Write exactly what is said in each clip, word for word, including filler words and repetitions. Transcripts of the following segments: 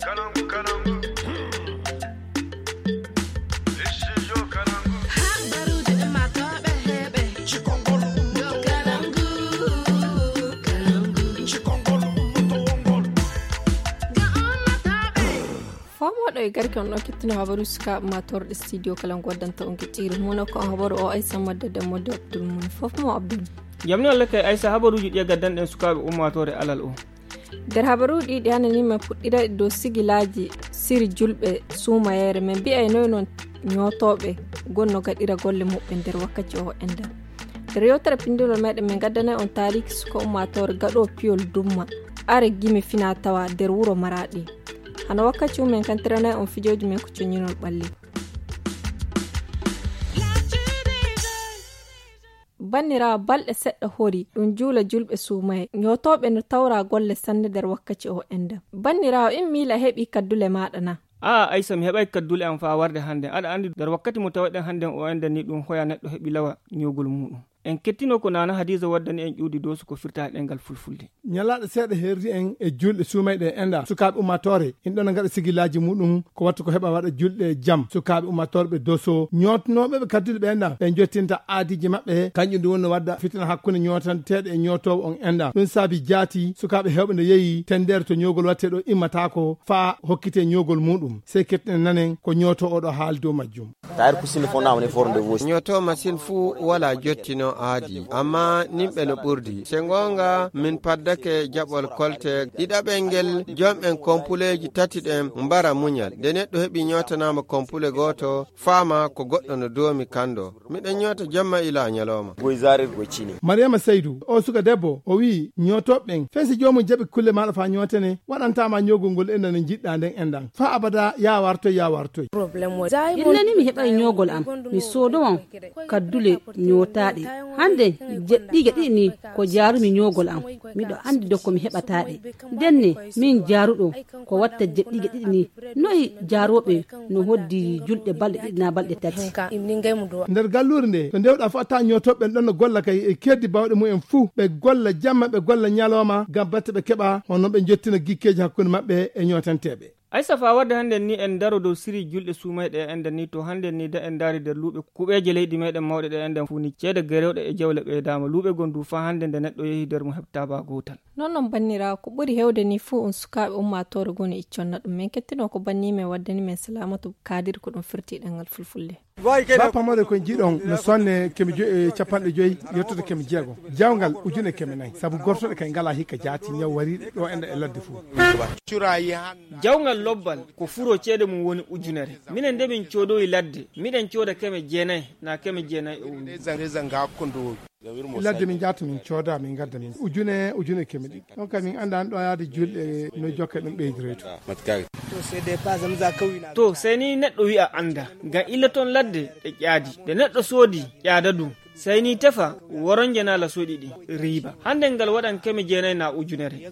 Fomooɗo e garke on ɗon kettino habaru sukaaɓe ma torɗe studio kala ngo waddanta on giɗɗiire mum ko habaru o ay sammadde demmo de abdul mum fof mo abdul. Jamni walla kay aysa habaruuji ɗi e gaddanɗen sukaaɓe ummaatoore alal o. Nder habaruuji ɗi ɗi hanani men puɗɗira dow sigilaaji siri julɓe suumayeere men mbiyay noy noon ñootooɓe gonno gaɗira golle muɓɓen nder wakkati o enɗan. Nder yewtere pinndinol meɗen min gaddanay on taariiki suka ummaatoore gaɗo piyol dumma are gimi fina tawa nder wuro maraɗi. Hano wakkati mumen kantiranay on fijooji men ko coñinol ɓalli. Banniraawo balɗe seɗɗa hori ɗum juula julɓe suumaye ñootooɓe no tawra golle sanne nder wakkati o enɗan. Banniraawo in miila heɓi kaddule maɗa na? Aa aysa mi heɓay kaddule am faa warde hannden aɗa anndi nder wakkati mo tawaɗen hannden o enɗan ni ɗum hoya neɗɗo heɓi lawa ñoogol muɗum. En kettino ko nana hadiisa waddani en ƴuwdi doosu ko firta e ɗemngal fulfulde. Ñalaaɗe seeɗa herri en e julɗe suumayɗe e enɗa sukaaɓe ummaatoore in ɗon ngaɗa sigilaaji muɗum ko wattu ko heɓa waɗa julɗe jam sukaaɓe ummaatoore ɓe dooso ñootnooɓe ɓe kaddule ɓe enɗa ɓe jottinta aadiiji maɓɓe. Kanƴum ndu wonno wadda fitina hakkunde ñootanteeɗo e ñootoowo on enɗa ɗum saabi jaati sukaaɓe heewɓe nde yehi tenndeere to ñoogol watte ɗo immataako faa hokkite ñoogol muɗum sey kettine nanen ko ñooto oɗo haali dow majjum. Taari kusini fo na woni fornde vosi. Ñooto masin fuu walaa jottino aadi, amma nimɓe no ɓurdi. Se ngoonga, min paddake jaɓol kolte ɗiɗaɓel ngel, jom'en kompuleeji tati ɗen mbara muñal. Nde neɗɗo heɓi ñootanaama kompule gooto, faama ko goɗɗo no doomi kando. Miɗen ñoota jemma ila ñalooma. Goy zarir goy cini. Mariama Saydu, o suka debbo, o wi'i, ñootooɓe ɓen, fesi joomum jaɓi kulle maaɗa faa ñootene, waɗantaa ma ñoogol ngol enɗan no njiɗɗaa nden enɗan. Faa abada, yaa wartoy, yaa wartoy. Illa ni mi heɓay ñoogol am, mi soodowan kaddule ñootaaɗe. Hande jeɗɗiige ɗiɗi ni ko jaarumi ñoogol am. Miɗo anndi do ko mi heɓataa ɗe. Ndenne, min jaaruɗo ko watta jeɗɗiige ɗiɗi ni. Noy jaarooɓe no hoddi julɗe balɗe ɗiɗi naa balɗe tati? Nder galluure nde, to ndewɗaa fof a taa ñootooɓe ɓen ɗon no golla kay e keddi baawɗe mumen fuu. Ɓe golla jamma, ɓe golla ñalooma, ngam batte ɓe keɓa, hono ɓe njottina gikkeeji hakkunde maɓɓe e ñootanteeɓe. Aysa faa wadde hannden ni en ndaro dow siri julɗe suumayɗe e enɗan ni to hannden ni da en ndaari nder luuɓe kuɓeeje leydi meɗen mawɗe ɗe enɗan fuu ni ceede gerewɗe e jawle ɓeydaama luuɓe goo ndu faa hannde nde neɗɗo yehi nder mo heɓtaa baa gootal. Non non banniraawo ko ɓuri heewde ni fuu on sukaaɓe ummaatoore goo no icconna ɗum men kettino ko banni men waddani men salaamatu kaadir ko ɗum firti ɗemngal fulfulde. Ba pamare ko jiiɗon no sonne kemi joyi e capanɗe joyi yettude kemi jeego. Jawgal ujune kemi nayi sabu gortoɗe kay ngala hikka jaati ñaw wariɗe ɗo enɗa e ladde fuu. Jawgal lobbal ko furo ceede mum woni ujunere. Minen nde min coodowi ladde miɗen cooda keme jeenayi na keme jeenayi e woni. Ladde min jaata min cooda min gadda min ujune ujune keme ɗiɗi. Ɗon kam min annda an ɗo yaade julɗe no jokka ɗum ɓeydire to. To sey ni neɗɗo wi'a annda ngam illa toon ladde ɗe ƴaadi ɗe neɗɗo soodi ƴaada du. Sey ni tefa woronje na la soɗi ɗi riiba hannden ngal waɗan keme jeenayi na ujunere.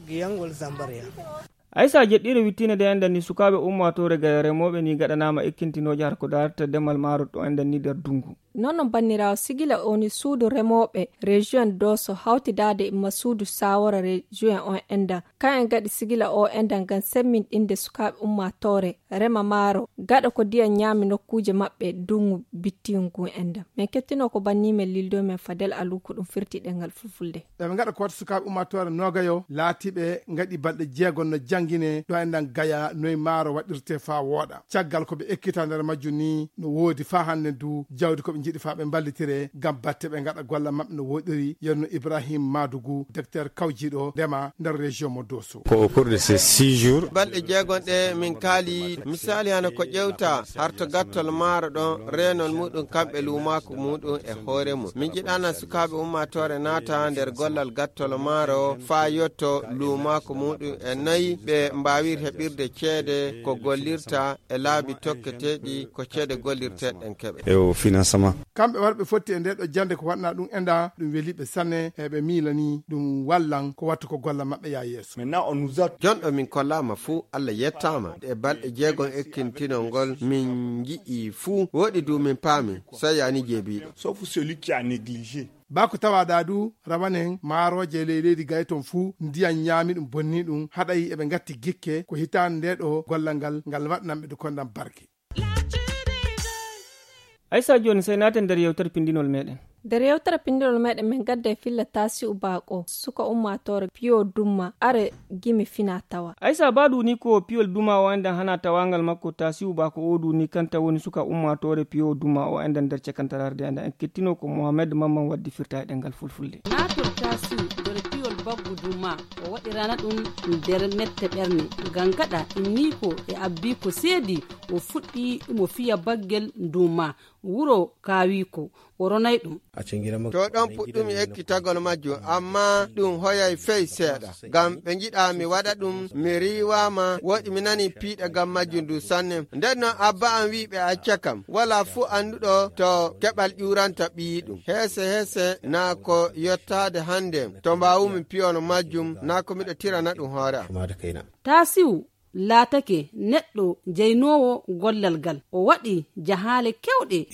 Aysa jeɗɗiire wittiinde nde enɗan ni sukaaɓe ummaatoore gaya remooɓe ni gaɗanaama ekkintinooje har ko daarata demal maaro ɗo enɗan ni nder dunngu. Non non banniraawo sigila o ni suudu remooɓe rejiyon dooso hawtidaade ma suudu saawara rejiyon on enɗan kan en gaɗi sigila o enɗan ngam semminɗinde sukaaɓe ummaatoore rema maaro gaɗa ko ndiyam ñaami nokkuuje maɓɓe dunngu bittiingu ngun enɗan. Men kettino ko banni men lildo men fadel alu ko ɗum firti ɗemngal fulfulde. Eɓe ngaɗa ko wata sukaaɓe ummaatoore noogayo laatiiɓe ngaɗi balɗe jeegom no janngine ɗo enɗan gaya noy maaro waɗirte faa wooɗa caggal ko ɓe ekkita nder majjum ni no woodi faa hannde du jawdi ko ɓe njiɗi faa ɓe mballitire ngam batte ɓe ngaɗa golla maɓɓe no woɗiri yonno ibrahim madugu docteur kawjiiɗo ndema nder région mo doso. Ko au cours de ces six jours. Balɗe jeegom ɗe min kaali misaali hano ko ƴewta harto gattol maaro ɗon reenol muɗum kamɓe luumaako muɗum e hoore mum min jiɗana sukaaɓe ummaatoore naata nder gollal gattol maaro faa yotto luumaako muɗum e noy ɓe mbaawir heɓirde ceede ko gollirta e laabi tokketeeɗi ko ceede gollirteeɗen keɓe. E o financement. kamɓe warɓe fotti e nde ɗo jannde ko waɗna ɗum enda, ɗum weli ɓe sanne, e ɓe miilani ɗum wallan ko wattu ko golla maɓɓe yaa yeeso. Maintenant, on nous a Jonɗo min kollaama fuu, Allah yettaama. E balɗe jeegom ekkintinol ngol, min nji'i fuu, woɗi du min paami, so yani jeebiiɗo. Sauf celui qui a négligé. Baa ko tawaaɗaa du, rawanen maarooje ley leydi gay ton fuu, ndiyan ñaami ɗum, bonni ɗum, haɗay eɓe ngatti gikke, ko hitaande nde ɗo gollal ngal, ngal waɗnan ɓe du kondan barke. Aysa, jooni sey naaten nder yewtere pinndinol meɗen. Nder yewtere pinndinol meɗen, min gadda e filla Taasi'u Baako, suka ummaatoore piyo dumma, are gimi fina tawa. Aysa, ba du ni ko piyol duma o endan hana tawangal makko, Taasi'u Baako o du ni kanta woni suka ummaatoore piyo duma o endan nder cakantaraare de endan en kettino ko Mohamed Mamman waddi firta e ɗengal fulfulde. Naatol Taasi'u nder piyol baggu duma, o waɗirana ɗum nder mette ɓerne. Gangaɗa inni ko e abbi ko seedi, o fuɗɗi mo fiya baggel duma, wuro kaawiko, o ronay ɗum. To ɗon puɗɗumi ekkitagol majjum, amma ɗum hoyay fey seeɗa. Ngam ɓe njiɗa mi waɗa ɗum, mi riiwaama, woɗi mi nani piiɗe ngam majjum du sanne. Nden non abba am wi'i ɓe acca kam, wala fuu annduɗo to keɓal ƴuuranta ɓiyiɗum. Heese heese naa ko yottaade hannde, to mbaawumi piyono majjum, naa ko miɗo tirana ɗum hoore am. Taasi'u laatake neɗɗo jeynoowo gollal ngal. O waɗi jahaale keewɗe.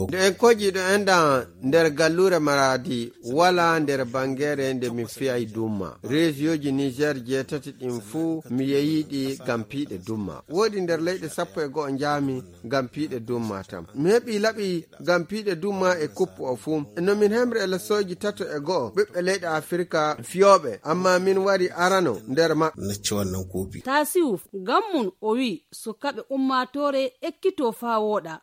Nde en kojii ɗo enɗan nder galluure Maraadi, wala nder bangeere nde mi fiyay dumma. Reesiyooji Niger jeetati ɗin fuu mi yeyiɗi ngam piiɗe dumma. Woodi nder leyɗe sappo e go'o njaami ngam piiɗe dumma tan. Mi heɓi laɓi ngam piiɗe dumma e kuppu o fuu. No min hemre e lesooji tato e go'o ɓiɓɓe leyɗe Afirka fiyooɓe, amma min wari arano nder maɓɓe. Taasi'u ngam mum o wi'i sukaaɓe ummaatoore ekkitoo faa wooɗa.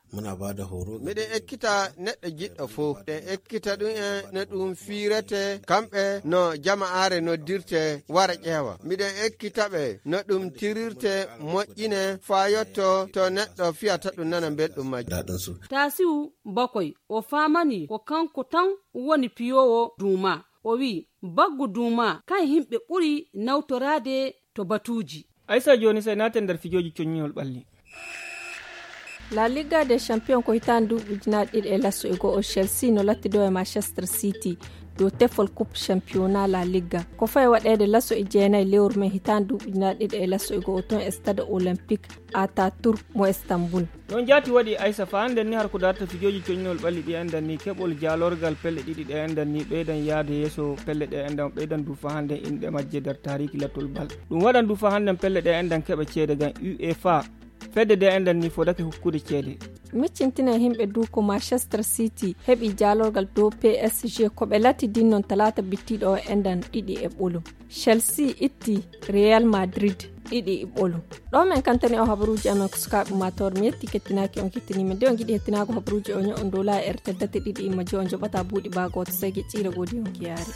Miɗen ekkita neɗɗo jiɗɗo fuu. Miɗen ekkita ɗum en no ɗum fiirete, kamɓe no jama'aare noddirte wara ƴeewa. Miɗen ekkita ɓe no ɗum tirirte moƴƴine faa yotto to neɗɗo fiyata ɗum nana belɗum majjum. Taasi'u bakoy, o faamani ko kanko tan woni piyoowo duuma. O wi'i, baggu duuma, kan yimɓe ɓuri nawtoraade to batuuji. Aysa, jooni sey naaten nder fijooji coññol ɓalli. La Liga des Champions ko hitaande duuɓi ujunaaji ɗiɗi e laso e go'o, Chelsea no lattido e Manchester City dow tefol Coupe Championnat La Liga. Ko fayi waɗeede laso e jeenayi lewru men hitaande duuɓi ujunaaji ɗiɗi e laso e go'o toon e Stade Olympique Ataturk mo Istanbul. Noon jaati waɗi Aysa, faa hannden ni har ko darta fijooji coññol ɓalli ɗi enɗan ni, keɓol jaalorgal pelle ɗiɗi ɗe enɗan ni, ɓeydan yaade yeeso pelle ɗe enɗan, ɓeydan du faa hannden inɗe majje nder taariiki lattol bal. Ɗum waɗan du faa hannden pelle ɗe enɗan keɓa ceede ngam UEFA. Fedde de enɗan ni fodake hokkude ceede. Miccintine yimɓe du ko Manchester City heɓi jaalorgal dow P S G ko ɓe latti din noon talaata bittiiɗo o enɗan ɗiɗi e ɓolum. Chelsea itti Real Madrid ɗiɗi e ɓolum. Ɗo men kantani o habaruuji amen ko sukaaɓe ummaatoore. Mi yetti kettinaaki on kettiniima. Nde on ngiɗi hettinaago habaruuji o ño'on dow laayi R T L date ɗiɗi imma je on joɓata buuɗi baa gooto sey geƴƴiire goodi on kiyaari.